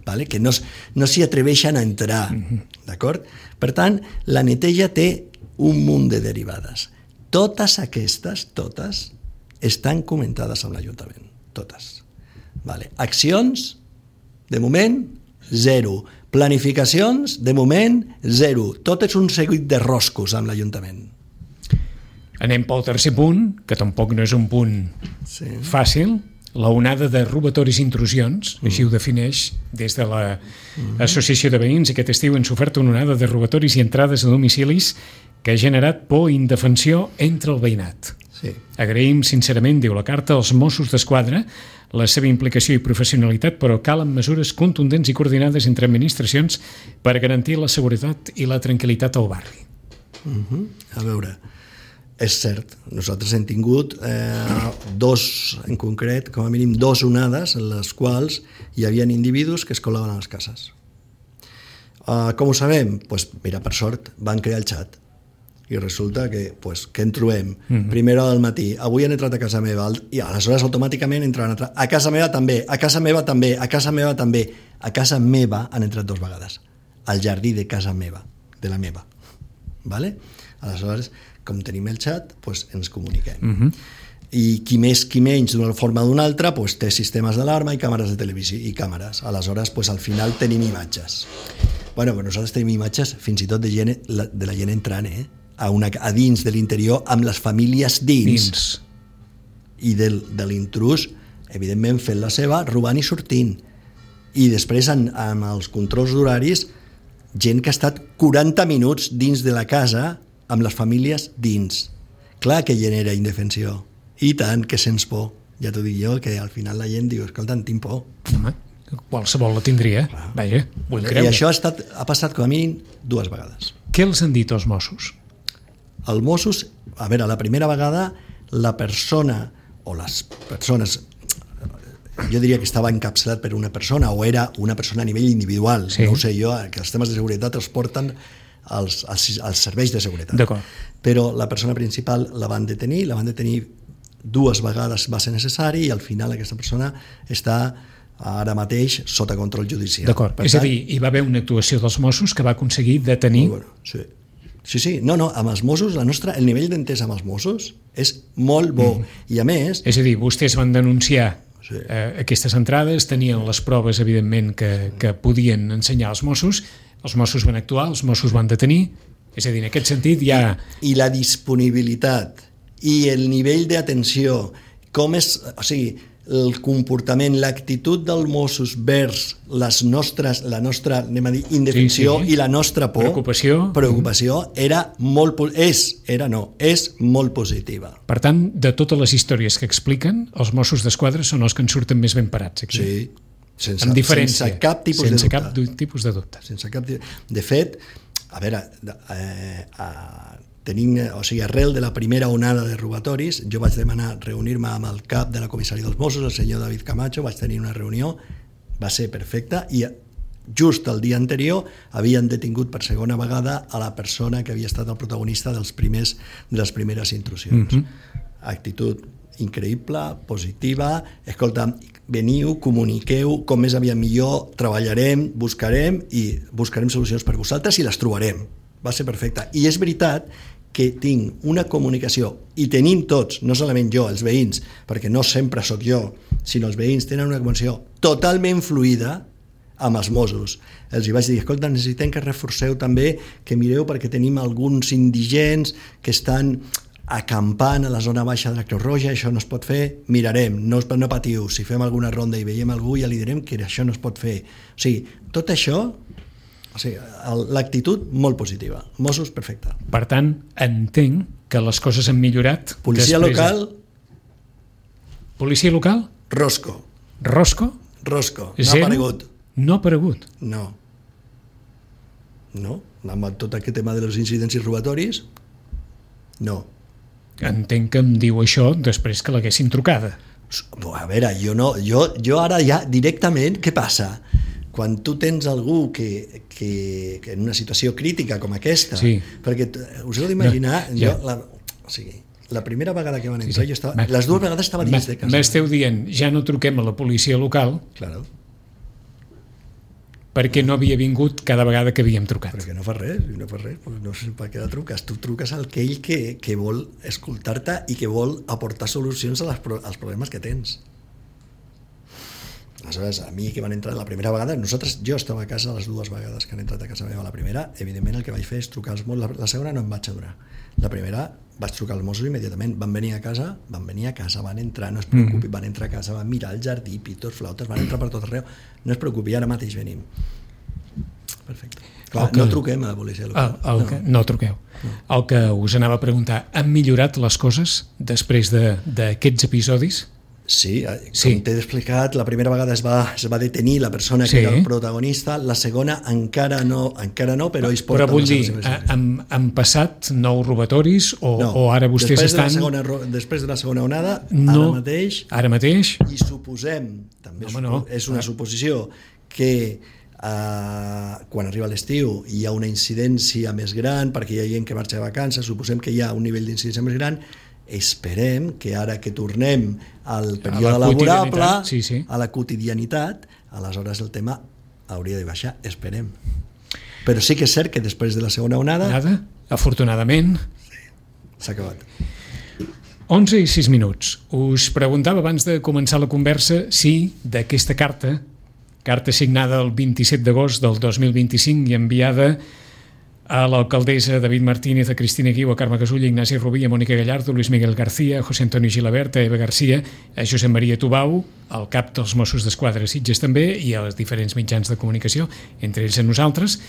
Speaker 2: Vale? Que no, no s'hi atreveixen a entrar. Mm-hmm. D'acord? Per tant, la neteja té un munt de derivades. Totes aquestes, totes, estan comentades amb l'Ajuntament. Totes. Vale. Accions, de moment, zero. Planificacions, de moment, zero. Tot és un seguit de roscos amb l'Ajuntament.
Speaker 1: Anem pel tercer punt, que tampoc no és un punt sí. fàcil, la onada de robatoris i intrusions, mm. així ho defineix des de l'Associació mm. de Veïns. Aquest estiu han sofert una onada de robatoris i entrades a domicilis que ha generat por i indefensió entre el veïnat.
Speaker 2: Sí.
Speaker 1: Agraïm sincerament, diu la carta, als Mossos d'Esquadra la seva implicació i professionalitat, però calen mesures contundents i coordinades entre administracions per garantir la seguretat i la tranquil·litat al barri.
Speaker 2: Uh-huh. A veure, és cert, nosaltres hem tingut eh, dos, en concret, com a mínim dos onades en les quals hi havia individus que es colaven a les cases. Uh, com ho sabem? Pues, mira, per sort, van crear el xat I resulta que, pues, què en trobem? Mm-hmm. Primera hora del matí, avui han entrat a casa meva, i aleshores automàticament entran a, a casa meva també, a casa meva també, a casa meva també. A casa meva han entrat dues vegades, al jardí de casa meva, de la meva. Vale? Aleshores, com tenim el xat, pues, ens comuniquem. Mm-hmm. I qui més, qui menys, d'una forma o d'una altra, pues, té sistemes d'alarma i càmeres de televisió i càmeres. Aleshores, pues, al final tenim imatges. Bueno, però nosaltres tenim imatges fins i tot de, gent, de la gent entrant, eh? A, una, a dins de l'interior, amb les famílies dins, dins. I del, de l'intrús, evidentment fent la seva, robant i sortint. I després, en, amb els controls d'horaris, gent que ha estat quaranta minuts dins de la casa amb les famílies dins. Clar que genera indefensió. I tant, que sents por. Ja t'ho dic jo, que al final la gent diu, escolta, en tinc por.
Speaker 1: Home, qualsevol la tindria. Vaja, vull creure.
Speaker 2: I això ha, estat, ha passat com a mi dues vegades.
Speaker 1: Què els han dit els Mossos?
Speaker 2: Els Mossos, a veure, la primera vegada la persona, o les persones, jo diria que estava encapçalat per una persona o era una persona a nivell individual, sí. No ho sé jo, que els temes de seguretat els porten als, als, als serveis de seguretat.
Speaker 1: D'acord.
Speaker 2: Però la persona principal la van detenir, la van detenir dues vegades va ser necessari i al final aquesta persona està ara mateix sota control judicial.
Speaker 1: D'acord, és tant, a dir, hi va haver una actuació dels Mossos que va aconseguir detenir...
Speaker 2: Bueno, sí. Sí, sí, no, no, amb els Mossos, la nostra, el nivell d'entès amb els Mossos és molt bo, mm. I a més...
Speaker 1: És a dir, vostès van denunciar sí. eh, aquestes entrades, tenien les proves, evidentment, que, que podien ensenyar als Mossos, els Mossos van actuar, els Mossos van detenir, és a dir, en aquest sentit ja...
Speaker 2: I, i la disponibilitat i el nivell d'atenció, com és, o sigui, el comportament, l'actitud dels Mossos vers les nostres, la nostra, anem a dir, indefensió sí, sí. I la nostra por,
Speaker 1: preocupació,
Speaker 2: preocupació era molt, és, era no, és molt positiva.
Speaker 1: Per tant, de totes les històries que expliquen, els Mossos d'Esquadra són els que en surten més ben parats aquí.
Speaker 2: Sí, sense,
Speaker 1: amb diferència,
Speaker 2: sense cap tipus
Speaker 1: sense
Speaker 2: de dubte.
Speaker 1: Cap tipus de dubte.
Speaker 2: Sense cap de fet, a veure, eh, eh, tenint, o sigui, arrel de la primera onada de robatoris, jo vaig demanar reunir-me amb el cap de la comissaria dels Mossos, el senyor David Camacho, vaig tenir una reunió, va ser perfecta, i just el dia anterior havien detingut per segona vegada a la persona que havia estat el protagonista dels primers, de les primeres intrusions. Mm-hmm. Actitud increïble, positiva, escolta, veniu, comuniqueu, com més aviat millor, treballarem, buscarem i buscarem solucions per vosaltres i les trobarem. Va ser perfecte. I és veritat que tinc una comunicació, i tenim tots, no solament jo, els veïns, perquè no sempre sóc jo, sinó els veïns tenen una comunicació totalment fluida amb els Mossos. Els hi vaig dir, escolta, necessitem que reforceu també, que mireu perquè tenim alguns indigents que estan acampant a la zona baixa de la Creu Roja, això no es pot fer, mirarem, no, no patiu, si fem alguna ronda i veiem algú ja li direm que això no es pot fer. O sigui, tot això... O sigui, l'actitud molt positiva. Mossos, perfecte.
Speaker 1: Per tant, entenc que les coses han millorat.
Speaker 2: Policia local...
Speaker 1: Policia local?
Speaker 2: Rosco.
Speaker 1: Rosco?
Speaker 2: Rosco. No
Speaker 1: Zero?
Speaker 2: ha aparegut.
Speaker 1: No ha aparegut?
Speaker 2: No. No. Amb tot aquest tema de les incidències robatoris, no.
Speaker 1: Entenc que em diu això després que l'haguessin trucada.
Speaker 2: A veure, jo no... Jo, jo ara ja directament, què passa? Quan tu tens algú que, que, que en una situació crítica com aquesta, sí. Perquè us heu d'imaginar, no, ja. jo, la, o sigui, la primera vegada que van entrar, sí, sí. jo estava, ma, les dues vegades estava dins ma, de casa.
Speaker 1: M'esteu dient, ja no truquem a la policia local,
Speaker 2: claro.
Speaker 1: Perquè no havia vingut cada vegada que havíem trucat.
Speaker 2: Perquè no fa res, no fa res, no sé per què la truques. Tu truques al aquell que, que vol escoltar-te i que vol aportar solucions a les, als problemes que tens. Aleshores, a mi que van entrar la primera vegada, nosaltres, jo estava a casa les dues vegades que han entrat a casa meva. La primera, evidentment, el que vaig fer és trucar als Mossos. La, la segona no em vaig adonar. La primera, vaig trucar als Mossos immediatament. Van venir a casa, van venir a casa, van entrar, no es preocupi, mm-hmm. van entrar a casa, van mirar el jardí, pitos, flautes, van entrar per tot arreu. No es preocupi, ara mateix venim. Perfecte. Clar, que, no truquem a la policia local.
Speaker 1: El, el no. Que, no truqueu. No. El que us anava a preguntar, han millorat les coses després d'aquests de, episodis?
Speaker 2: Sí, com sí. t'he explicat, la primera vegada es va, es va detenir la persona que sí. era el protagonista, la segona encara no, encara no però ells porten...
Speaker 1: Però vull dir, han, han passat nou robatoris o, no, o ara vostès
Speaker 2: després
Speaker 1: estan...
Speaker 2: De segona, després de la segona onada,
Speaker 1: no,
Speaker 2: ara mateix...
Speaker 1: Ara mateix...
Speaker 2: I suposem, també
Speaker 1: Home, no.
Speaker 2: és una suposició, que Uh, quan arriba l'estiu hi ha una incidència més gran perquè hi ha gent que marxa de vacances, suposem que hi ha un nivell d'incidència més gran, esperem que ara que tornem al període laborable,
Speaker 1: sí, sí.
Speaker 2: a la quotidianitat, aleshores el tema hauria de baixar, esperem. Però sí que és cert que després de la segona onada...
Speaker 1: Nada, afortunadament...
Speaker 2: Sí, s'ha acabat.
Speaker 1: onze i sis minuts. Us preguntava abans de començar la conversa si d'aquesta carta carta signada el vint-i-set d'agost del dos mil vint-i-cinc i enviada a l'alcaldessa David Martínez, a Cristina Guiu, a Carme Casulla, a Ignasi Rubí, a Mònica Gallardo, Luis Miguel García, a José Antonio Gilabert, a Eva García, a Josep Maria Tubau, al cap dels Mossos d'Esquadra Sitges també, i a els diferents mitjans de comunicació, entre ells a nosaltres,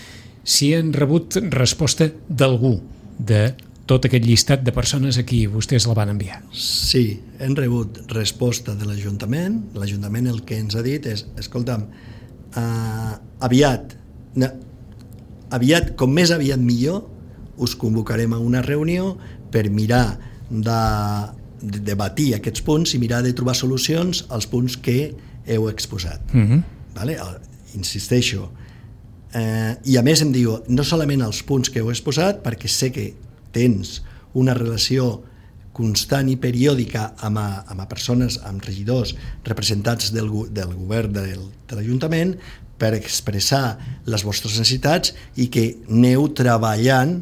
Speaker 1: si han rebut resposta d'algú de tot aquest llistat de persones a qui vostès la van enviar.
Speaker 2: Sí, hem rebut resposta de l'Ajuntament. L'Ajuntament el que ens ha dit és, escolta'm, uh, aviat, no, aviat, com més aviat millor, us convocarem a una reunió per mirar de, de debatir aquests punts i mirar de trobar solucions als punts que heu exposat.
Speaker 1: Uh-huh.
Speaker 2: Vale? Insisteixo. Uh, I a més em diu, no solament els punts que heu exposat, perquè sé que tens una relació constant i periòdica amb, a, amb a persones, amb regidors, representants del, del govern del, de l'Ajuntament, per expressar les vostres necessitats i que aneu treballant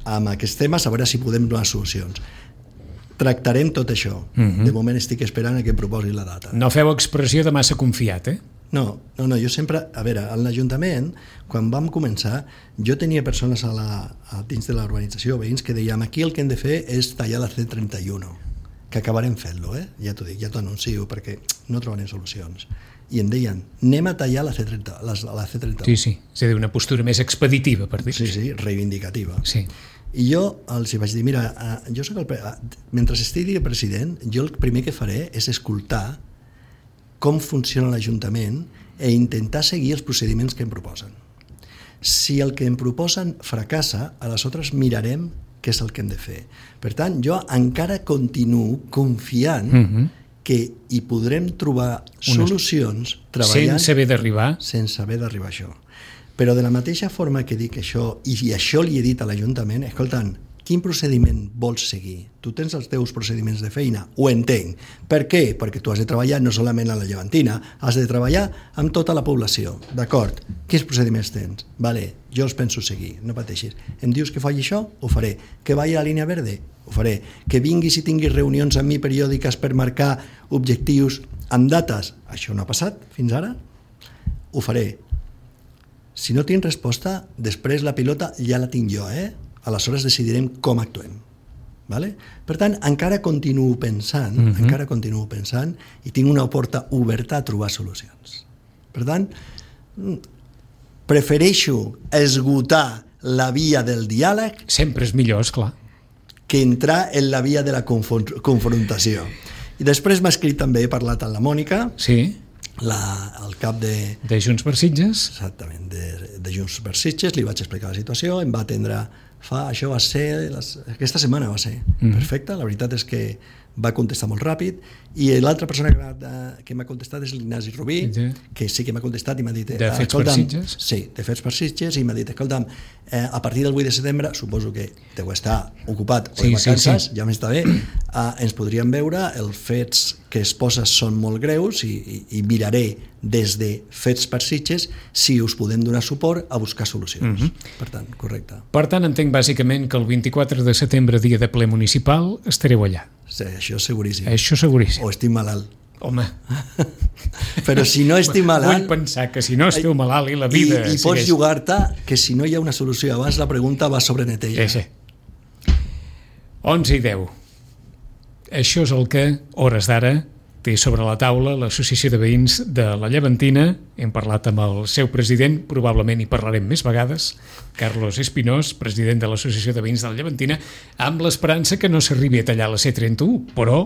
Speaker 2: amb aquests temes a veure si podem donar solucions. Tractarem tot això. Uh-huh. De moment estic esperant a que em proposi la data.
Speaker 1: No feu expressió de massa confiat, eh?
Speaker 2: No, no, no, jo sempre... A veure, a l'Ajuntament, quan vam començar, jo tenia persones a la, a dins de l'urbanització, veïns, que dèiem aquí el que hem de fer és tallar la C trenta i u, que acabarem fent-lo, eh? Ja t'ho dic, ja t'ho anuncio, perquè no trobarem solucions. I em deien, anem a tallar la C trenta, la, la C trenta u.
Speaker 1: Sí, sí, és a dir, una postura més expeditiva, per dir-ho.
Speaker 2: Sí, sí, reivindicativa.
Speaker 1: Sí.
Speaker 2: I jo els vaig dir, mira, jo soc el... mentre estigui president, jo el primer que faré és escoltar com funciona l'Ajuntament i intentar seguir els procediments que em proposen. Si el que em proposen fracassa, aleshores mirarem què és el que hem de fer. Per tant, jo encara continuo confiant uh-huh. que hi podrem trobar solucions treballant...
Speaker 1: Sense haver d'arribar.
Speaker 2: Sense haver d'arribar a això. Però de la mateixa forma que dic això, i això li he dit a l'Ajuntament, escoltant, quin procediment vols seguir? Tu tens els teus procediments de feina, ho entenc. Per què? Perquè tu has de treballar no solament a la Llevantina, has de treballar amb tota la població, d'acord? Quins procediments tens? Vale, jo els penso seguir, no pateixis. Em dius que faci això? Ho faré. Que vagi a la línia verde? Ho faré. Que vinguis i tinguis reunions amb mi periòdiques per marcar objectius amb dates? Això no ha passat fins ara? Ho faré. Si no tinc resposta, després la pilota ja la tinc jo, eh? Aleshores decidirem com actuem. Vale? Per tant, encara continuo pensant, uh-huh. encara continuo pensant i tinc una porta oberta a trobar solucions. Per tant, prefereixo esgotar la via del diàleg...
Speaker 1: Sempre és millor, esclar.
Speaker 2: ...que entrar en la via de la confron- confrontació. I després m'ha escrit també, he parlat amb la Mònica...
Speaker 1: Sí.
Speaker 2: La, el cap de...
Speaker 1: De Junts per Sitges.
Speaker 2: Exactament, de, de Junts per Sitges, li vaig explicar la situació, em va atendre... Fa, això va ser, les, aquesta setmana va ser mm. perfecte, la veritat és que va contestar molt ràpid, i l'altra persona que, que m'ha contestat és l'Ignasi Rubí, sí. que sí que m'ha contestat i m'ha dit...
Speaker 1: De Fets per Sitges?
Speaker 2: Sí, de Fets per Sitges, i m'ha dit, escolta'm, eh, a partir del vuit de setembre, suposo que deu estar ocupat o de vacances, sí, sí. ja m'està bé, eh, ens podríem veure, els fets que es posa són molt greus, i, i, i miraré des de Fets per Sitges si us podem donar suport a buscar solucions. Mm-hmm. Per tant, correcte.
Speaker 1: Per tant, entenc bàsicament que el vint-i-quatre de setembre, dia de ple municipal, estareu allà.
Speaker 2: Sí, això seguríssim.
Speaker 1: Això seguríssim.
Speaker 2: O estic malalt.
Speaker 1: Home.
Speaker 2: Però si no estic malalt...
Speaker 1: Vull pensar que si no esteu malalt i la vida...
Speaker 2: I, i pots jugar-te que si no hi ha una solució abans, la pregunta va sobre Netella.
Speaker 1: Sí, sí. onze i deu. Això és el que, hores d'ara, té sobre la taula l'Associació de Veïns de la Llevantina. Hem parlat amb el seu president, probablement hi parlarem més vegades, Carlos Espinós, president de l'Associació de Veïns de la Llevantina, amb l'esperança que no s'arribi a tallar la C trenta u, però,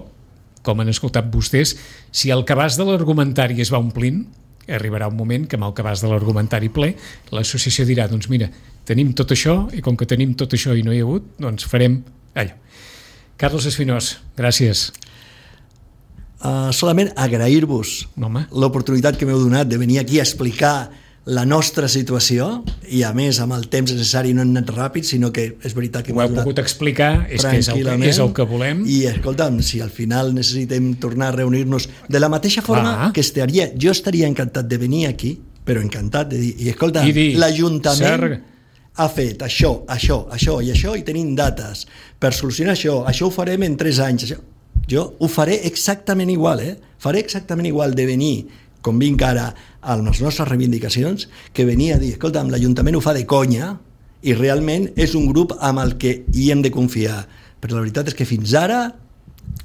Speaker 1: com han escoltat vostès, si el cabàs de l'argumentari es va omplint, arribarà un moment que amb el cabàs de l'argumentari ple, l'associació dirà, doncs mira, tenim tot això, i com que tenim tot això i no hi ha hagut, doncs farem allò. Carlos Espinós, gràcies.
Speaker 2: Uh, solament agrair-vos
Speaker 1: Home.
Speaker 2: l'oportunitat que m'heu donat de venir aquí a explicar la nostra situació, i a més amb el temps necessari no hem anat ràpid, sinó que és veritat que
Speaker 1: ho heu pogut explicar, és que és el que, és el que volem.
Speaker 2: I escolta'm, si al final necessitem tornar a reunir-nos de la mateixa forma ah. que estaria, jo estaria encantat de venir aquí, però encantat de dir, i escolta, l'Ajuntament Ser... ha fet això, això, això i això, i tenim dates per solucionar això, això ho farem en tres anys, això. Jo ho faré exactament igual, eh? Faré exactament igual de venir com vinc ara a les nostres reivindicacions, que venia a dir, escolta'm, l'Ajuntament ho fa de conya i realment és un grup amb el que hi hem de confiar. Però la veritat és que fins ara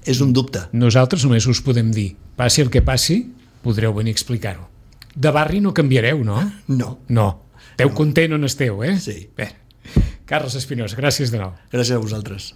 Speaker 2: és un dubte.
Speaker 1: Nosaltres només us podem dir, passi el que passi, podreu venir a explicar-ho. De barri no canviareu, no?
Speaker 2: No.
Speaker 1: No. Esteu no. content on esteu, eh?
Speaker 2: Sí.
Speaker 1: Bé. Carles Espinosa, gràcies de nou.
Speaker 2: Gràcies a vosaltres.